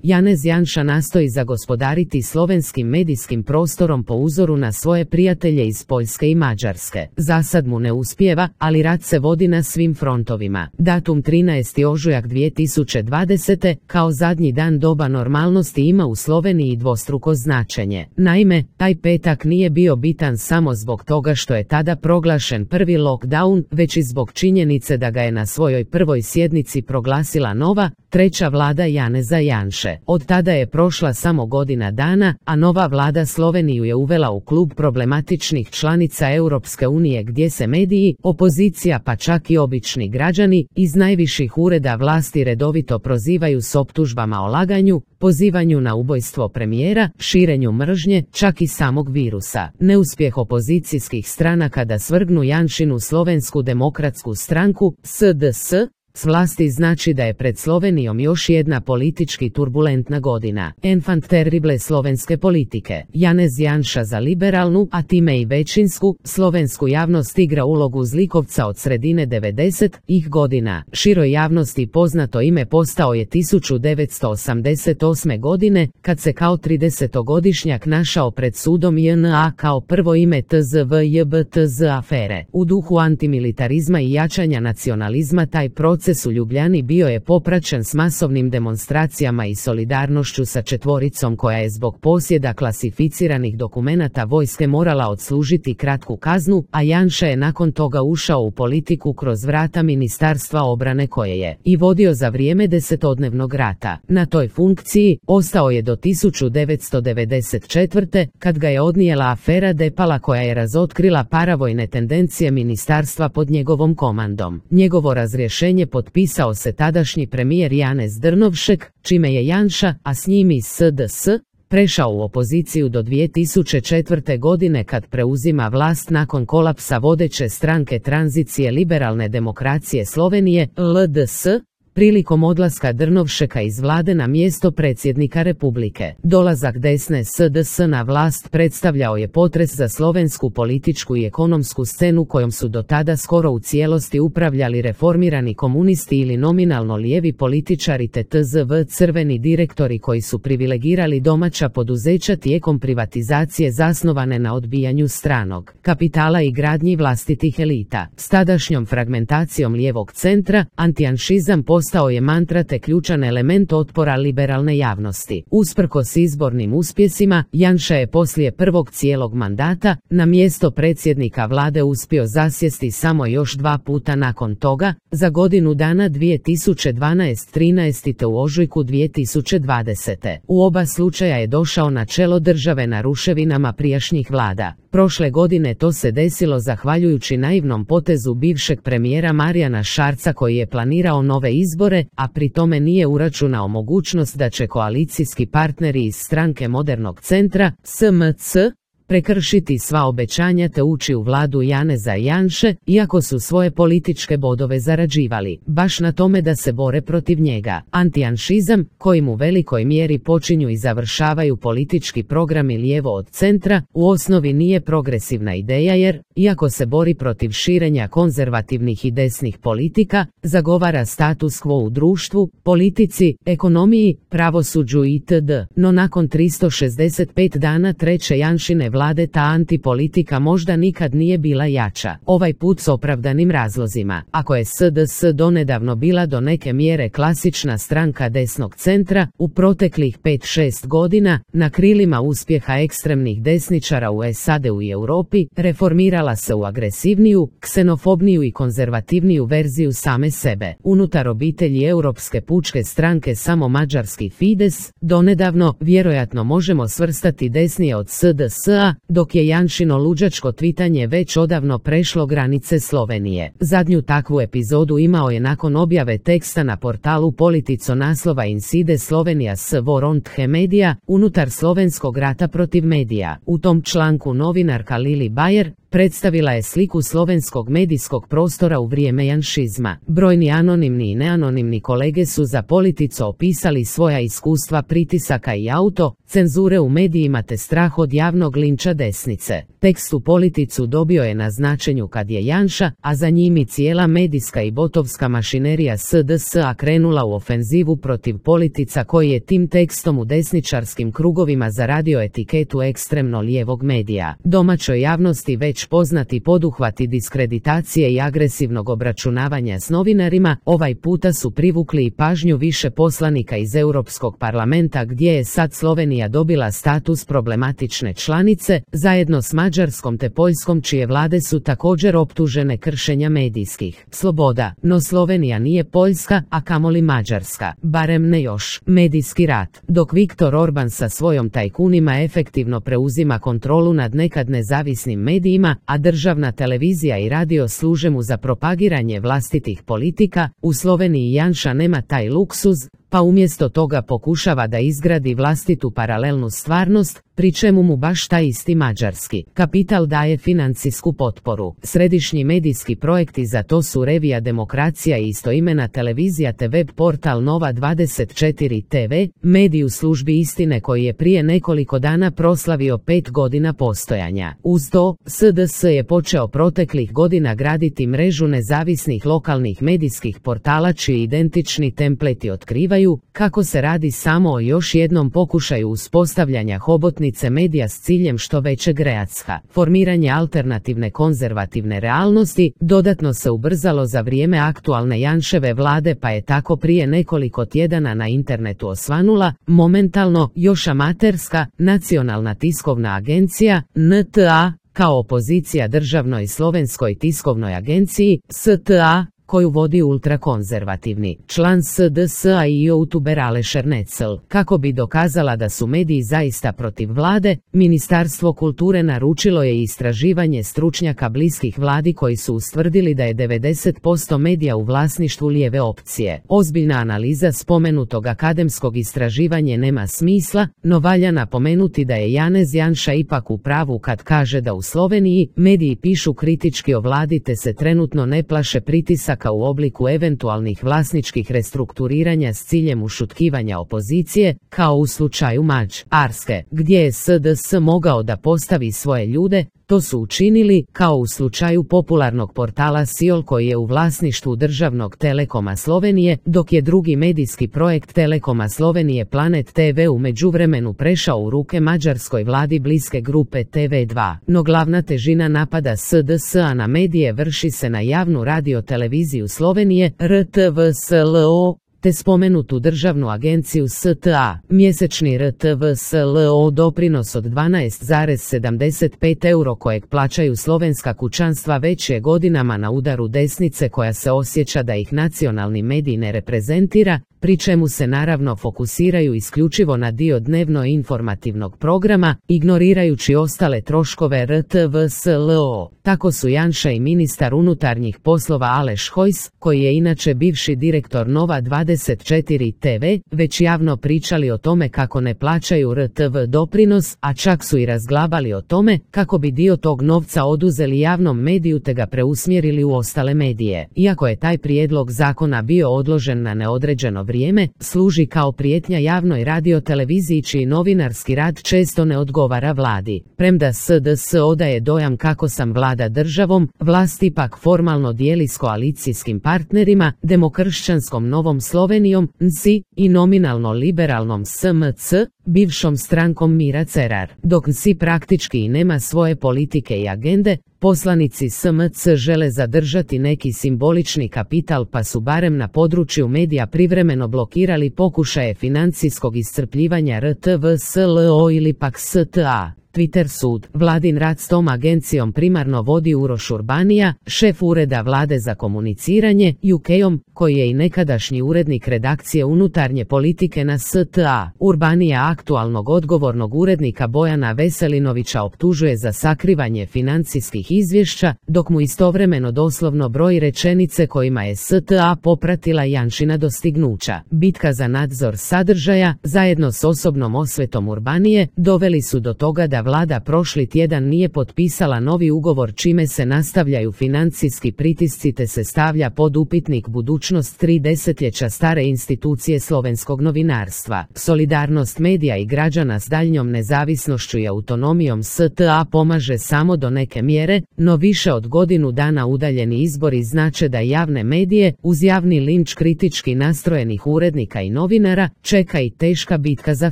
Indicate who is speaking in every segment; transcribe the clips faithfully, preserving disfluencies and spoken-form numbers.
Speaker 1: Janez Janša nastoji zagospodariti slovenskim medijskim prostorom po uzoru na svoje prijatelje iz Poljske i Mađarske. Zasad mu ne uspijeva, ali rat se vodi na svim frontovima. Datum trinaesti ožujak dvije tisuće dvadesete kao zadnji dan doba normalnosti ima u Sloveniji dvostruko značenje. Naime, taj petak nije bio bitan samo zbog toga što je tada proglašen prvi lockdown, već i zbog činjenice da ga je na svojoj prvoj sjednici proglasila nova, treća vlada Janeza Janše. Od tada je prošla samo godina dana, a nova vlada Sloveniju je uvela u klub problematičnih članica Europske unije gdje se mediji, opozicija pa čak i obični građani iz najviših ureda vlasti redovito prozivaju s optužbama o laganju, pozivanju na ubojstvo premijera, širenju mržnje, čak i samog virusa. Neuspjeh opozicijskih stranaka da svrgnu Janšinu Slovensku demokratsku stranku, S D S, s vlasti znači da je pred Slovenijom još jedna politički turbulentna godina. Enfant terrible slovenske politike. Janez Janša za liberalnu, a time i većinsku, slovensku javnost igra ulogu zlikovca od sredine devedesetih godina. Široj javnosti poznato ime postao je tisuću devetsto osamdeset osme. godine, kad se kao tridesetogodišnjak našao pred sudom J N A kao prvo ime T Z V J B T Z afere. U duhu antimilitarizma i jačanja nacionalizma taj proces u Ljubljani bio je popraćen s masovnim demonstracijama i solidarnošću sa četvoricom koja je zbog posjeda klasificiranih dokumenata vojske morala odslužiti kratku kaznu, a Janša je nakon toga ušao u politiku kroz vrata Ministarstva obrane koje je i vodio za vrijeme desetodnevnog rata. Na toj funkciji ostao je do tisuću devetsto devedeset četvrte. kad ga je odnijela afera Depala koja je razotkrila paravojne tendencije ministarstva pod njegovom komandom. Njegovo razrješenje potpisao se tadašnji premijer Janez Drnovšek, čime je Janša, a s njim i S D S, prešao u opoziciju do dvije tisuće četvrte. godine kad preuzima vlast nakon kolapsa vodeće stranke tranzicije liberalne demokracije Slovenije, L D S, prilikom odlaska Drnovšeka iz vlade na mjesto predsjednika Republike. Dolazak desne S D S na vlast predstavljao je potres za slovensku političku i ekonomsku scenu kojom su do tada skoro u cijelosti upravljali reformirani komunisti ili nominalno lijevi političari te T Z V crveni direktori koji su privilegirali domaća poduzeća tijekom privatizacije zasnovane na odbijanju stranog kapitala i gradnji vlastitih elita. S tadašnjom fragmentacijom lijevog centra, antijanšizam postao je mantra te ključan element otpora liberalne javnosti. Usprkos izbornim uspjesima, Janša je poslije prvog cijelog mandata na mjesto predsjednika vlade uspio zasjesti samo još dva puta nakon toga, za godinu dana dvije tisuće dvanaeste trinaeste te u ožujku dvije tisuće dvadesete. U oba slučaja je došao na čelo države na ruševinama prijašnjih vlada. Prošle godine to se desilo zahvaljujući naivnom potezu bivšeg premijera Marijana Šarca koji je planirao nove izbore, a pri tome nije uračunao mogućnost da će koalicijski partneri iz stranke Modernog centra, S M C, prekršiti sva obećanja te ući u vladu Janeza Janše, iako su svoje političke bodove zarađivali baš na tome da se bore protiv njega. Antijanšizam, kojim u velikoj mjeri počinju i završavaju politički programi lijevo od centra, u osnovi nije progresivna ideja jer, iako se bori protiv širenja konzervativnih i desnih politika, zagovara status quo u društvu, politici, ekonomiji, pravosuđu itd. No nakon tristo šezdeset pet dana treće Janšine vlade ta antipolitika možda nikad nije bila jača. Ovaj put s opravdanim razlozima. Ako je S D S donedavno bila do neke mjere klasična stranka desnog centra, u proteklih pet šest godina, na krilima uspjeha ekstremnih desničara u S A D-u i Europi, reformirala se u agresivniju, ksenofobniju i konzervativniju verziju same sebe. Unutar obitelji Europske pučke stranke samo mađarski Fides, donedavno, vjerojatno možemo svrstati desnije od S D S-a, dok je Janšino luđačko tvitanje već odavno prešlo granice Slovenije. Zadnju takvu epizodu imao je nakon objave teksta na portalu Politico naslova Inside Slovenija s Voronthe Media, unutar slovenskog rata protiv medija. U tom članku novinarka Lili Bajer predstavila je sliku slovenskog medijskog prostora u vrijeme janšizma. Brojni anonimni i neanonimni kolege su za Politico opisali svoja iskustva pritisaka i auto, cenzure u medijima te strah od javnog linča linča desnice. Tekst u Politicu dobio je na značenju kad je Janša, a za njim i cijela medijska i botovska mašinerija S D S A krenula u ofenzivu protiv Politica koji je tim tekstom u desničarskim krugovima zaradio etiketu ekstremno lijevog medija. Domaćoj javnosti već poznati poduhvati diskreditacije i agresivnog obračunavanja s novinarima, ovaj puta su privukli i pažnju više poslanika iz Europskog parlamenta gdje je sad Slovenija dobila status problematične članice, zajedno s Mađarskom te Poljskom čije vlade su također optužene kršenja medijskih sloboda. No Slovenija nije Poljska, a kamoli Mađarska, barem ne još. Medijski rat. Dok Viktor Orban sa svojom tajkunima efektivno preuzima kontrolu nad nekad nezavisnim medijima, a državna televizija i radio služe mu za propagiranje vlastitih politika, u Sloveniji Janša nema taj luksuz, pa umjesto toga pokušava da izgradi vlastitu paralelnu stvarnost, pri čemu mu baš taj isti mađarski kapital daje financijsku potporu. Središnji medijski projekti za to su Revija Demokracija i istoimena televizija te web portal Nova dvadeset četiri T V, medij u službi istine koji je prije nekoliko dana proslavio pet godina postojanja. Uz to, S D S je počeo proteklih godina graditi mrežu nezavisnih lokalnih medijskih portala čiji identični templeti otkrivaju kako se radi samo o još jednom pokušaju uspostavljanja hobotnice medija s ciljem što većeg reacja. Formiranje alternativne konzervativne realnosti dodatno se ubrzalo za vrijeme aktualne Janševe vlade, pa je tako prije nekoliko tjedana na internetu osvanula, momentalno još amaterska, Nacionalna tiskovna agencija, N T A, kao opozicija državnoj slovenskoj tiskovnoj agenciji, S T A, koju vodi ultrakonzervativni član S D S A i youtuber Aleš Ernecl. Kako bi dokazala da su mediji zaista protiv vlade, Ministarstvo kulture naručilo je istraživanje stručnjaka bliskih vladi koji su ustvrdili da je devedeset posto medija u vlasništvu lijeve opcije. Ozbiljna analiza spomenutog akademskog istraživanja nema smisla, no valja napomenuti da je Janez Janša ipak u pravu kad kaže da u Sloveniji mediji pišu kritički o vladi te se trenutno ne plaše pritisaka u obliku eventualnih vlasničkih restrukturiranja s ciljem ušutkivanja opozicije, kao u slučaju Mađarske, gdje je S D S mogao da postavi svoje ljude. To su učinili, kao u slučaju popularnog portala Siol koji je u vlasništvu državnog Telekoma Slovenije, dok je drugi medijski projekt Telekoma Slovenije Planet T V u međuvremenu prešao u ruke mađarskoj vladi bliske grupe T V dva. No glavna težina napada S D S A na medije vrši se na javnu radioteleviziju Slovenije, R T V S L O, te spomenutu državnu agenciju S T A. Mjesečni R T V S L O doprinos od dvanaest zarez sedamdeset pet euro kojeg plaćaju slovenska kućanstva već je godinama na udaru desnice koja se osjeća da ih nacionalni medij ne reprezentira, pri čemu se naravno fokusiraju isključivo na dio dnevno informativnog programa, ignorirajući ostale troškove R T V S L O. Tako su Janša i ministar unutarnjih poslova Aleš Hojs, koji je inače bivši direktor Nova dvadeset četiri T V, već javno pričali o tome kako ne plaćaju R T V doprinos, a čak su i razglabali o tome kako bi dio tog novca oduzeli javnom mediju te ga preusmjerili u ostale medije. Iako je taj prijedlog zakona bio odložen na neodređeno vrijeme, služi kao prijetnja javnoj radioteleviziji čiji novinarski rad često ne odgovara vladi. Premda S D S odaje dojam kako sam vlada državom, vlast ipak formalno dijeli s koalicijskim partnerima, demokršćanskom Novom Slovenijom, N S I, i nominalno liberalnom S M C, bivšom strankom Mira Cerar. Dok N S I praktički i nema svoje politike i agende, poslanici S M C žele zadržati neki simbolični kapital pa su barem na području medija privremeno blokirali pokušaje financijskog iscrpljivanja R T V S L O ili pak S T A. Twitter sud. Vladin rad s tom agencijom primarno vodi Uroš Urbanija, šef ureda vlade za komuniciranje, U K-om, koji je i nekadašnji urednik redakcije unutarnje politike na S T A. Urbanija aktualnog odgovornog urednika Bojana Veselinovića optužuje za sakrivanje financijskih izvješća, dok mu istovremeno doslovno broji rečenice kojima je S T A popratila Janšina dostignuća. Bitka za nadzor sadržaja, zajedno s osobnom osvetom Urbanije, doveli su do toga da da vlada prošli tjedan nije potpisala novi ugovor čime se nastavljaju financijski pritisci te se stavlja pod upitnik budućnost tri desetljeća stare institucije slovenskog novinarstva. Solidarnost medija i građana s daljnjom nezavisnošću i autonomijom S T A pomaže samo do neke mjere, no više od godinu dana udaljeni izbori znače da javne medije, uz javni linč kritički nastrojenih urednika i novinara, čeka i teška bitka za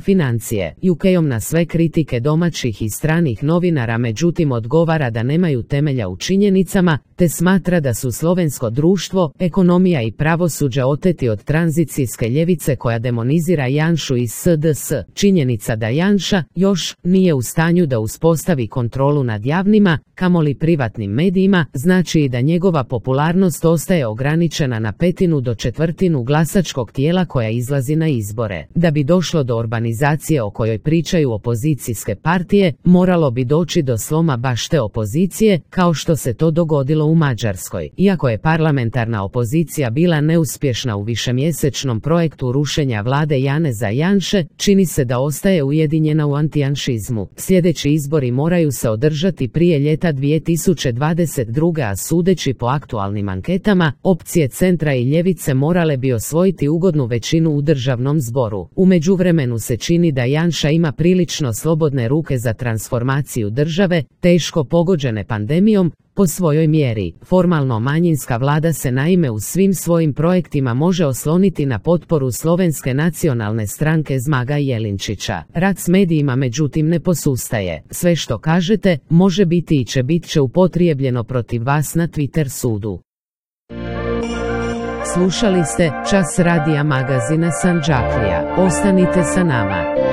Speaker 1: financije. U K-om na sve kritike domaćih i stranih novinara međutim odgovara da nemaju temelja u činjenicama, te smatra da su slovensko društvo, ekonomija i pravosuđe oteti od tranzicijske ljevice koja demonizira Janšu i S D S. Činjenica da Janša još nije u stanju da uspostavi kontrolu nad javnima, kamoli privatnim medijima, znači i da njegova popularnost ostaje ograničena na petinu do četvrtinu glasačkog tijela koja izlazi na izbore. Da bi došlo do urbanizacije o kojoj pričaju opozicijske partije, moralo bi doći do sloma baš te opozicije, kao što se to dogodilo u Mađarskoj. Iako je parlamentarna opozicija bila neuspješna u višemjesečnom projektu rušenja vlade Janeza Janše, čini se da ostaje ujedinjena u antijanšizmu. Sljedeći izbori moraju se održati prije ljeta dvije tisuće dvadeset druge. a sudeći po aktualnim anketama, opcije centra i ljevice morale bi osvojiti ugodnu većinu u državnom zboru. U međuvremenu se čini da Janša ima prilično slobodne ruke za transformaciju države, teško pogođene pandemijom, po svojoj mjeri. Formalno manjinska vlada se naime u svim svojim projektima može osloniti na potporu Slovenske nacionalne stranke Zmaga Jelinčića. Rat s medijima međutim ne posustaje. Sve što kažete, može biti i će bit će upotrijebljeno protiv vas na Twitter sudu. Slušali ste Čas radija magazina Sandžaklija. Ostanite sa nama.